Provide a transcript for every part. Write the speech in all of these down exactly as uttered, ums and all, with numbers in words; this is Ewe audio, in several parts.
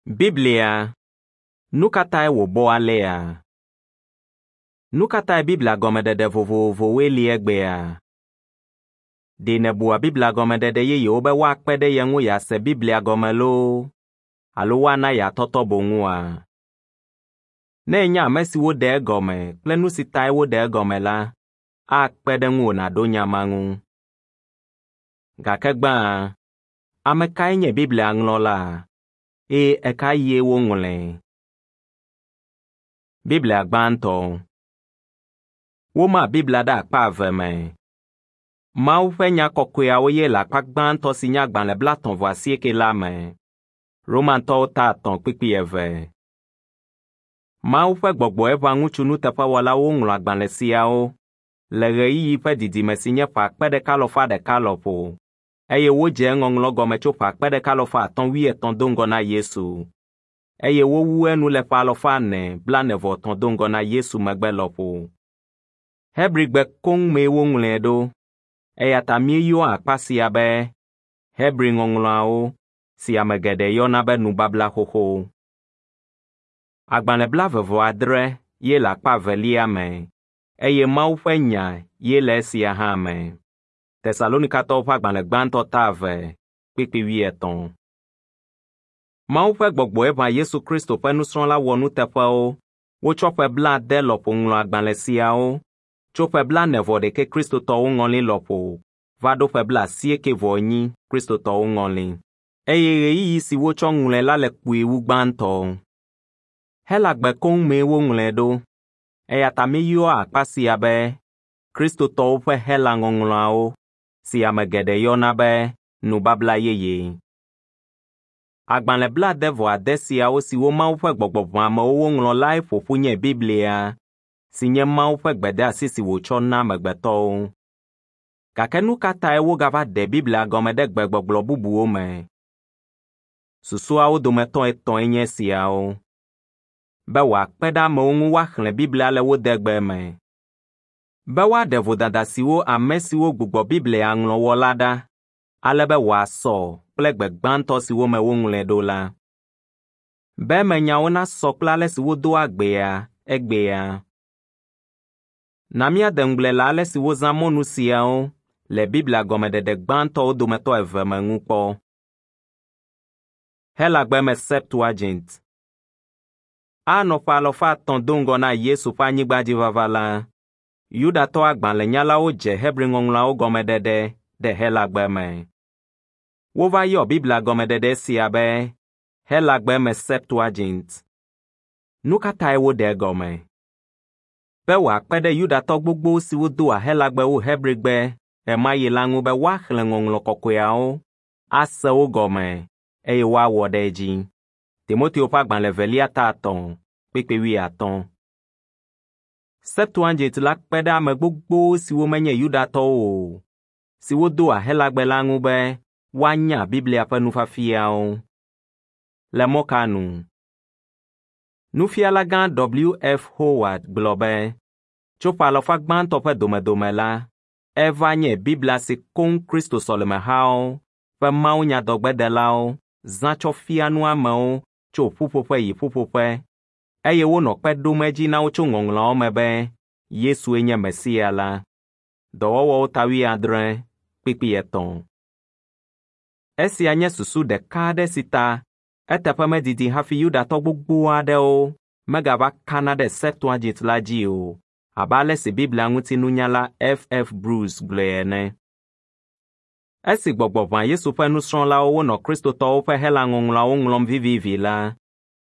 Biblia, nu ka tae wòbɔ alea? Nu ka tae Biblia gɔmeɖeɖe vovovowoe li egbea? Ɖe nèbua Biblia gɔmeɖeɖe yeyewo be woakpe ɖe ye ŋu yease Biblia gɔme loo alo woana yeatɔtɔ boŋua? Ne ènya ame siwo ɖe egɔme kple nu si tae woɖe egɔme la, akpe ɖe ŋuwò nàɖo nya ma ŋu. Gake gbãa, ame kae nye Biblia ŋlɔla eye ɣe ɣie woŋlɔe? Biblia gbãtɔ. Woma Biblia ɖe akpa eve me. Mawu ƒe nya kɔkɔeawo ye le akpa gbãtɔ si nye agbalẽ blaetɔ̃ vɔ asieke la me. Romantɔwo ta etɔ̃ kpukpui eve. Mawu ƒe gbɔgbɔe ʋã ŋutsu nuteƒewɔlawo woŋlɔ agbalẽ siawo le ɣeyiɣi ƒe didime si nye ƒe akpe ɖeka alafa ɖeka lɔƒo eye wodze eŋɔŋlɔ gɔme tso ƒe akpe ɖeka alafa atɔ̃ wuietɔ̃ do ŋgɔ na Yesu eye wowu enu le ƒe alafa ene blaene vɔ etɔ̃ do ŋgɔ na Yesu megbe lɔƒo. Hebrigbe koŋ mee woŋlɔe ɖo eya ta míeyɔa akpa sia be Hebri Ŋɔŋlɔawo si ame geɖe yɔna be Nubabla Xoxo. Agbalẽ blaeve vɔ adre ye le akpa evelia me eye Mawu ƒe nya ye le esia hã me. Tesalonikatɔwo ƒe agbalẽ gbãtɔ ta eve kpukpui wuietɔ̃. Mawu ƒe gbɔgbɔe ʋã Yesu Kristo ƒe nusrɔ̃la wɔnuteƒewo wotsɔ ƒe blaade lɔƒo ŋlɔ agbalẽ siawo tso ƒe blaene vɔ ɖekɛ Kristotɔwo ŋɔli lɔƒo va ɖo ƒe blaasieke vɔ enyi Kristotɔwo ŋɔli eye ɣeyiɣi si wotsɔ ŋlɔe la le kpuie wu gbãtɔ. Helagbe koŋ mee woŋlɔe ɖo eya ta míeyɔa akpa sia be Kristotɔwo ƒe Hela Ŋɔŋlɔawo si ame geɖe yɔna be Nubabla Yeye. Agbalẽ blaade vɔ ade siawo siwo Mawu ƒe gbɔgbɔ ʋã amewo woŋlɔ lae ƒo ƒu nye Biblia si nye Mawu ƒe gbedeasi si wòtsɔ na amegbetɔwo. Gake nu ka tae wogava ɖe Biblia gɔme ɖe gbegbɔgblɔ bubuwo me? Susuawo dometɔ etɔ̃e nye esiawo. Be wòakpe ɖe amewo ŋu woaxlẽ Biblia le wo degbe me. Be woaɖe vodada siwo ame siwo gbugbɔ Biblia ŋlɔ wɔ la ɖa ale be wòasɔ kple gbe gbãtɔ siwo me woŋlɔe ɖo la. Be emenyawo nasɔ kple ale si wodoa gbea egbea. Na míade ŋugble le ale si wozã mɔnu siawo le Biblia gɔmeɖeɖe gbãtɔwo dometɔ eve me ŋu kpɔ. Helagbe me Septuagint. Anɔ ƒe alafa etɔ̃ do ŋgɔ na Yesu ƒe anyigbadzivava la, Yudatɔ agbalẽnyalawo dze Hebri Ŋɔŋlɔawo gɔmeɖeɖe ɖe Helagbe me. Wova yɔ Biblia gɔmeɖeɖe sia be Helagbe me Septuagint. Nu ka tae woɖe egɔme? Be wòakpe ɖe Yudatɔ gbogbo siwo doa Helagbe wu Hebrigbe ɣemaɣi la ŋu be woaxlẽ Ŋɔŋlɔ Kɔkɔeawo, ase wo gɔme eye woawɔ ɖe edzi. Timoteo ƒe agbalẽ evelia ta etɔ̃ kpukpui wuiatɔ̃. Septuagint la kpe ɖe ame gbogbo siwo menye Yudatɔwo o, siwo doa Helagbe la ŋu be woanya Biblia ƒe nufiafiawo. Le mɔ ka nu? Nufialagã W. F. Howard gblɔ be tso ƒe alafa gbãtɔ ƒe domedome la, eva nye Biblia si koŋ Kristo sɔlemehawo ƒe mawunyadɔgbedelawo zã tsɔ fia nu amewo tso ƒuƒoƒe yi ƒuƒoƒe eye wonɔ kpe ɖom edzi na wo tso Ŋɔŋlɔawo me be Yesue nye Mesia la. Dɔwɔwɔwo ta wuiadre kpukpui etɔ̃. Esia nye susu ɖeka aɖe si ta eteƒe medidi hafi Yudatɔ gbogbo aɖewo megava kana ɖe Septuagint la dzi o abe ale si Biblia ŋutinunyala F. F. Bruce gblɔe ene. Esi gbɔgbɔ ʋã Yesu ƒe nusrɔ̃lawo wonɔ Kristotɔwo ƒe Hela Ŋɔŋlɔawo ŋlɔm vivivi la,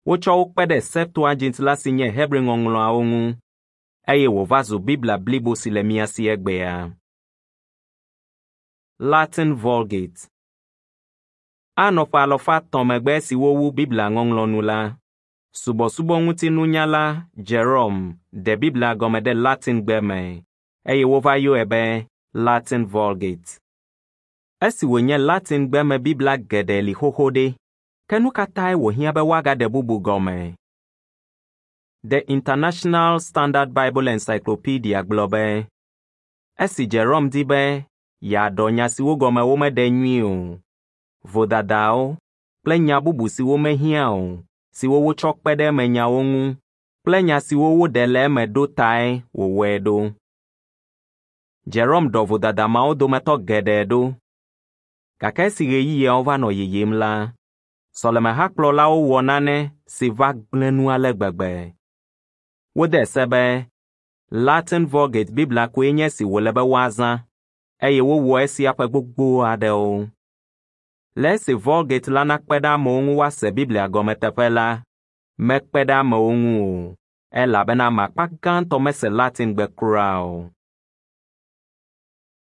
wotsɔ wo kpe ɖe Septuagint la si nye Hebri Ŋɔŋlɔawo ŋu eye wòva zu Biblia blibo si le mía si egbea. Latin Vulgate. Anɔ ƒe alafa etɔ̃ megbe esi wowu Biblia ŋɔŋlɔ nu la, subɔsubɔŋutinunyala Jerome ɖe Biblia gɔme ɖe Latingbe me eye wova yɔe be Latin Vulgate. Esi wònye Latingbe me Biblia geɖe li xoxo ɖe, ke nu ka tae wòhiã be woagaɖe bubu gɔme? The International Standard Bible Encyclopedia gblɔ be esi Jerome di be yeaɖɔ nya siwo gɔme womeɖe nyuie o, vodadawo kple kple nya bubu siwo mehiã o, siwo wotsɔ kpe ɖe emenyawo ŋu kple nya siwo woɖe le eme ɖo tae wòwɔe ɖo. Jerome ɖɔ vodada mawo dometɔ geɖe ɖo. Gake esi ɣeyiɣiawo va nɔ yiyim la, sɔlemehakplɔlawo wɔ nane si va gblẽ nu ale gbegbe. Wode se be Latin Vulgate Biblia koe nye esi wòle be woazã eye wowɔ esia ƒe gbogbo aɖewo. Le esi Vulgate la nakpe ɖe amewo ŋu woase Biblia gɔme teƒe la, mekpe ɖe amewo ŋu o, elabena ame akpa gãtɔ mese Latingbe kura o.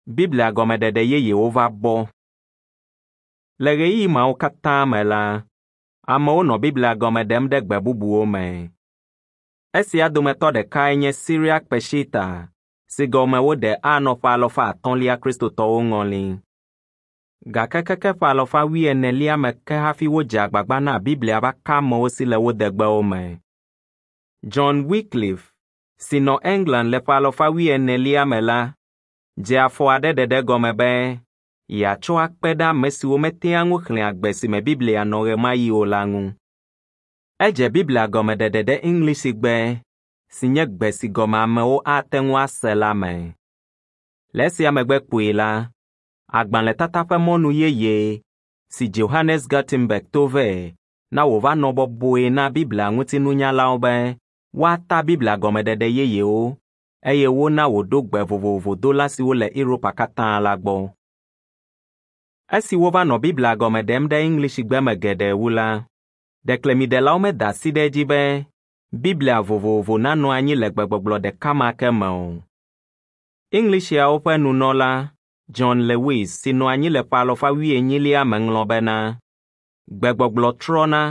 Biblia gɔmeɖeɖe yeyewo va bɔ. Le ɣeyiɣi mawo katã me la, amewo nɔ Biblia gɔme ɖem ɖe gbe bubuwo me. Esia dometɔ ɖekae nye Syriac Peshitta si gɔme woɖe anɔ ƒe alafa atɔ̃lia Kristotɔwo ŋɔli. Gake keke ƒe alafa wuienelia me ke hafi wodze agbagba na Biblia va ka amewo si le wo degbewo me. John Wycliffe si nɔ England le ƒe alafa wuienelia me la, dze afɔ aɖe ɖeɖe gɔme be yeatsɔ akpe ɖe ame siwo metea ŋu xlẽa gbe si me Biblia nɔ ɣemaɣi o la ŋu. Edze Biblia gɔmeɖeɖe ɖe Eŋlisigbe si nye gbe si gɔme amewo ate ŋu ase la me. Le esia megbe kpuie la, agbalẽtata ƒe mɔnu yeye si Johannes Gutenberg to vɛ na wòva nɔ bɔbɔe na Biblia ŋutinunyalawo be woata Biblia gɔmeɖeɖe yeyewo eye wona wòɖo gbe vovovodola siwo le Europa katã la gbɔ. Esi wova nɔ Biblia gɔme ɖem ɖe Eŋlisigbe me geɖe wu la, ɖeklemiɖelawo meda asi ɖe edzi be Biblia vovovo nanɔ anyi le gbegbɔgblɔ ɖeka ma ke me o. Eŋlisiawo ƒe nunɔla John Lewis si nɔ anyi le ƒe alafa wuienyilia me ŋlɔ bena, gbegbɔgblɔ trɔna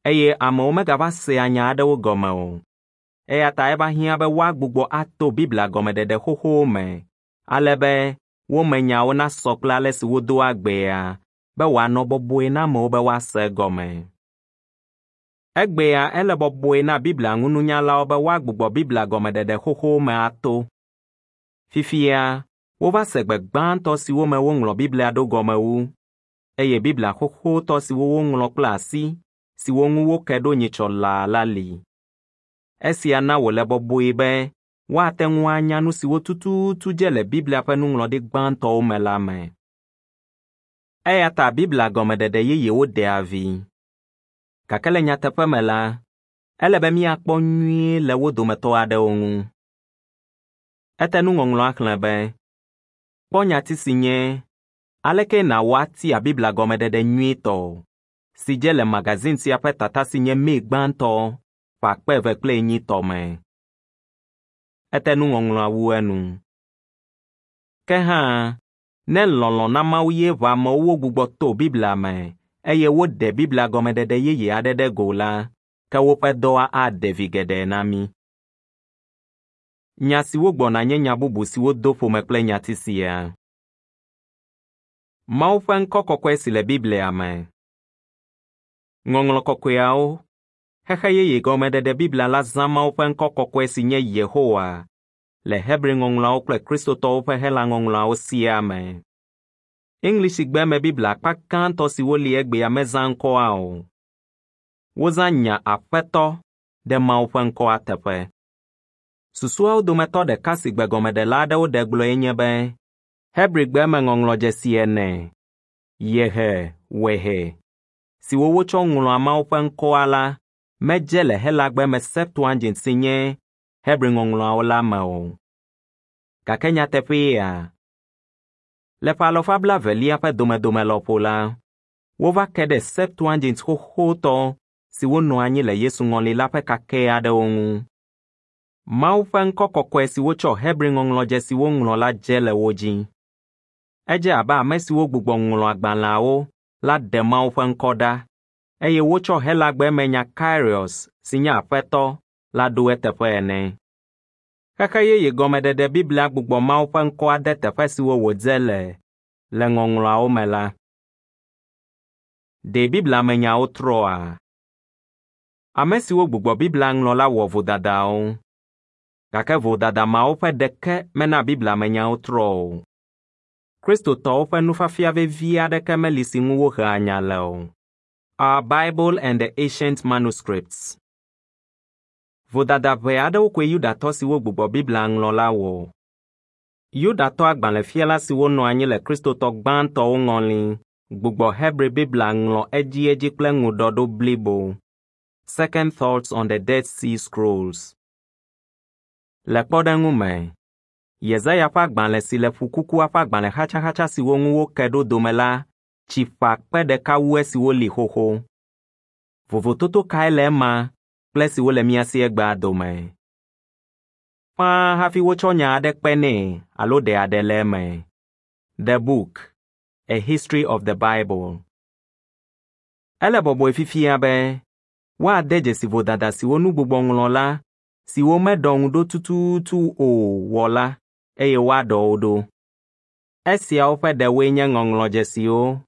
eye amewo megava sea nya aɖewo gɔme o. Eya ta eva hiã be woagbugbɔ ato Biblia gɔmeɖeɖe xoxowo me ale be wo me nyawo nasɔ kple ale si wodoa gbea be wòanɔ bɔbɔe na amewo be woase egɔme. Egbea ele bɔbɔe na Biblia ŋununyalawo be woagbugbɔ Biblia gɔmeɖeɖe xoxowo me ato. Fifia, wova se gbe gbãtɔ siwo me woŋlɔ Biblia ɖo gɔme wu, eye Biblia xoxotɔ siwo woŋlɔ kple asi siwo ŋu woke ɖo nyitsɔ laa la li. Esia na wòle bɔbɔe be woate ŋu anya nu siwo tututu dze le Biblia ƒe nuŋlɔɖi gbãtɔwo me la me. Eya ta Biblia gɔmeɖeɖe yeyewo ɖea vi. Gake le nyateƒe me la, ele be míakpɔ nyuie le wo dometɔ aɖewo ŋu. Ete nuŋɔŋlɔa xlẽ be, kpɔ nyati si nye aleke nàwɔ atia Biblia gɔmeɖeɖe nyuitɔ si dze le magazine sia ƒe tata si nye May gbãtɔ ƒe akpe eve kple enyi tɔ me. Ete nuŋɔŋlɔa wu enu. Ke hã, ne lɔlɔ̃ na Mawu ye ʋã amewo wogbugbɔ to Biblia me eye woɖe Biblia gɔmeɖeɖe yeye aɖe ɖe go la, ke woƒe dɔa aɖe vi geɖe na mí. Nya siwo gbɔna nye nya bubu siwo do ƒome kple nyati sia. Mawu ƒe ŋkɔ kɔkɔe si le Biblia me. Ŋɔŋlɔ kɔkɔeawo, Xexe Yeye Gɔmeɖeɖe Biblia la zã Mawu ƒe ŋkɔ kɔkɔe si nye Yehowa le Hebri ŋɔŋlɔawo kple Kristotɔwo ƒe Hela ŋɔŋlɔawo siaa me. Eŋlisigbe me Biblia akpa gãtɔ siwo li egbea mezã ŋkɔa o. Wozã nya Aƒetɔ ɖe Mawu ƒe ŋkɔa teƒe. Susuawo dometɔ ɖeka si gbegɔmeɖela aɖewo ɖe gblɔe nye be Hebrigbe me ŋɔŋlɔdzesi ene, Yehe Wehe, siwo wotsɔ ŋlɔa Mawu ƒe ŋkɔa la medze le Helagbe me Septuagint si nye Hebri ŋɔŋlɔawo la me o. Gake nyateƒea, le ƒe alafa blaevelia ƒe domedome lɔƒo la, wova ke ɖe Septuagint xoxotɔ siwo nɔ anyi le Yesu ŋɔli la ƒe kakɛ aɖewo ŋu. Mawu ƒe ŋkɔ kɔkɔe si wotsɔ Hebri ŋɔŋlɔdzesiwo ŋlɔ la dze le wo dzi. Edze abe ame siwo gbugbɔ ŋlɔ agbalẽawo la ɖe Mawu ƒe ŋkɔ ɖa eye wotsɔ Helagbe me nya Kyrios si nye Aƒetɔ la ɖo eteƒe ene. Xexe Yeye Gɔmeɖeɖe Biblia gbugbɔ Mawu ƒe ŋkɔa de teƒe siwo wòdze le le ŋɔŋlɔawo me la. Ɖe Biblia me nyawo trɔa? Ame siwo gbugbɔ Biblia ŋlɔ la wɔ vodadawo. Gake vodada mawo ƒe ɖeke mena Biblia me nyawo trɔ o. Kristotɔwo ƒe nufiafia vevi aɖeke meli si ŋu wohea nya le o. Our Bible and the Ancient Manuscripts. Vodada ʋɛ aɖewo koe Yudatɔ siwo gbugbɔ Biblia ŋlɔ la wɔ. Yudatɔ agbalẽfiala siwo nɔ anyi le Kristotɔ gbãtɔwo ŋɔli gbugbɔ Hebri Biblia ŋlɔ edziedzi kple ŋuɖɔɖo blibo. Second Thoughts on the Dead Sea Scrolls. Le kpɔɖeŋu me, Yesaya ƒe agbalẽ si le Ƒukukua ƒe agbalẽ xatsaxatsa siwo ŋu woke ɖo dome la tsi ƒe akpe ɖeka wu esiwo li xoxo. Vovototo kae le ema kple esiwo le mía si egbea dome? Ƒãa hafi wotsɔ nya aɖe kpe nɛ alo ɖe aɖe le eme. The Book, A History of the Bible. Ele bɔbɔe fifia be woade dzesi vodada siwo nugbugbɔŋlɔla siwo meɖɔ ŋu ɖo tututu o wɔ la eye woaɖɔ wo ɖo. Esiawo ƒe ɖewoe nye ŋɔŋlɔdzesiwo,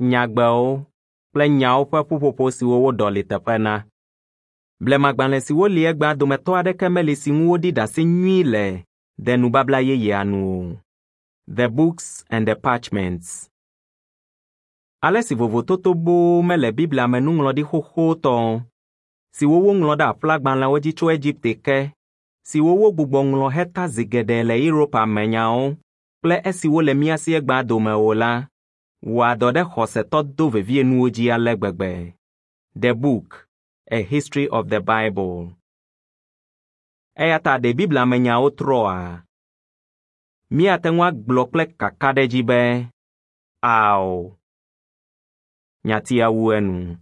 nyagbewo kple nyawo ƒe ƒuƒoƒo siwo woɖɔli teƒe na. Blemagbalẽ siwo li egbea dometɔ aɖeke meli si ŋu woɖi ɖase nyui le de nubabla yeyea nu o. The Books and the Parchments. Ale si vovototo boo mele Biblia me nuŋlɔɖi xoxotɔ siwo woŋlɔ ɖe aƒlagbalẽwo dzi tso Egipte ke, siwo wogbugbɔ ŋlɔ heta zi geɖe le Europa me nyawo kple esiwo le mía si egbea dome o la, wɔa dɔ ɖe xɔsetɔ dovevienuwo dzi ale gbegbe. The Book, A History of the Bible. Eya ta ɖe Biblia me nyawo trɔa? Míate ŋu agblɔ kple kakaɖedzi be, ao. Nyatia wu enu.